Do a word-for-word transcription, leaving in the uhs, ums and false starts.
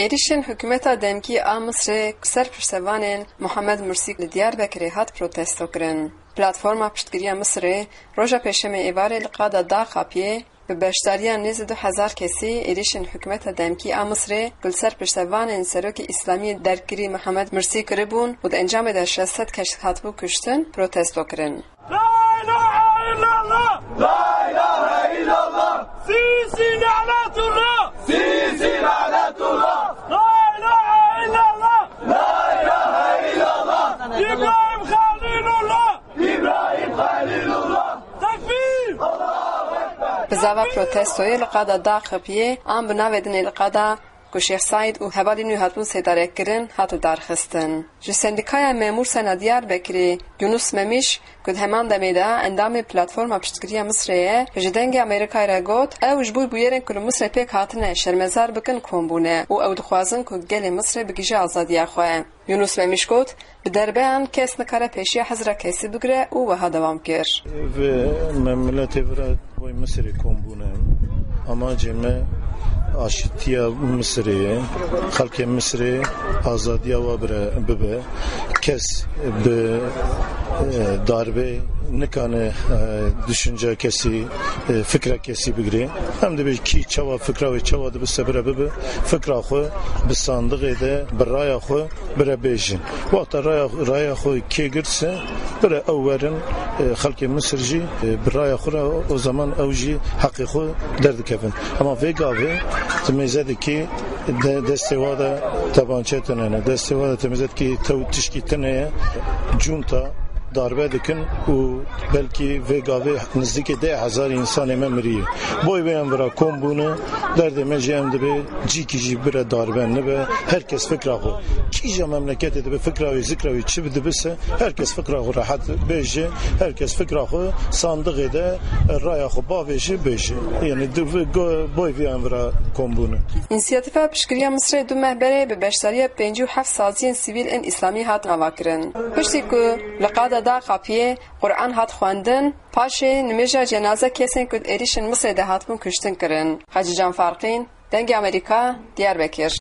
Êrîşên hikûmeta demkî a Misirê ku ser piştevanên Muhammed Mursî li Diyarbekirê hat protesto kirin. Platforma Piştgiriya Misirê roja Pêşemê êvarê li qada Dağ Xapiyê bi beşdariya nêzî du hezar kesî êrîşên hikûmeta demkî a Misirê ku li ser piştevanên Serokê Îslamiyê dergirî Muhammed Mursî kiribûn û di encamê de şeş sed kes hatibû kuştin, protesto kirin. لا إله إلا الله. لا إله إلا الله. سيسي لعنة الله. سيسي لعنة الله. لا إله إلا الله. لا إله إلا الله. إبراهيم خليل الله. إبراهيم خليل الله. تكبير. الله أكبر. Bizava protestoyê li qada Dağ Xapiyê an bi navê din ê li qada ku Şêx Seîd û hevalên wî hatibûn sêdarek kirin, hat lidarxistin. Ji Sendîkaya Memûr Sena Diyarbekirê Yunus Memîş, ku di heman demê de endamê Platforma Piştgiriya Misirê ye, ji Dengê Amerîkayê re got, ew ji bo bûyerên ku li Misirê pêk hatine şermezar bikin kom bûne û ew dixwazin ku gelê Misirê bigihîje azadiya xwe. Yunus Memîş got, bi derbeyan kes nikare pêşiya hizra kesî bigire û wiha dewam kir. Vê me miletê vira boy Misirê kom bûne. Amacê me aşîtiya Misirê ye. Xelkê Misirê azadiya wa bire, bibe. Kes bi, e, darbe nikane, e, düşünce kesî, e, fikra kesî bigire. Em dibê kî çawa fikra wê çawa dibise bire bibe. Fikra xwe bi sandiqê de, bi raya xwe bire bêjin. Wexta raya, raya xwe kê girt se, bire ew werin, e, xelkê Misir jî, e, bi raya xwe re o zaman ew jî heqê xwe derdikevin. Ama vê gavê tu mêze dikî de, destê wa de tebançe tune ne. Destê wa de tu mêze dikî tew tişkî tune ye. Cunta darbe dikin û belkî vê gavê nizdîkê deh hezar însanê me miriye. Boy vê em vira kom bûne, derdê me jî em dibê cîkî jî bire darbe nibe, her kes fikra xwe. Kîja memleketê dibe fikra wî, zikra wî çi dibise, her kes fikra xwe rehet bêje, her kes fikra xwe sandiqê de raya xwe bavêje bêje. Yani di vê go-, boy vê em vira kom bûne. Însiyatîfa Piştgiriya Misirê du meh berê bi beşdariya pêncî û heft saziyên sivîl ên îslamî hat avakirin. Piştî ku li qada Dağ Xapiyê Quran hat xwendin, paşê nimêja cenaze kesên ku di êrîşên Misirê de hatibûn kuştin kirin. Hacî Can Farqîn, Dengê Amerîka, Diyarbekir.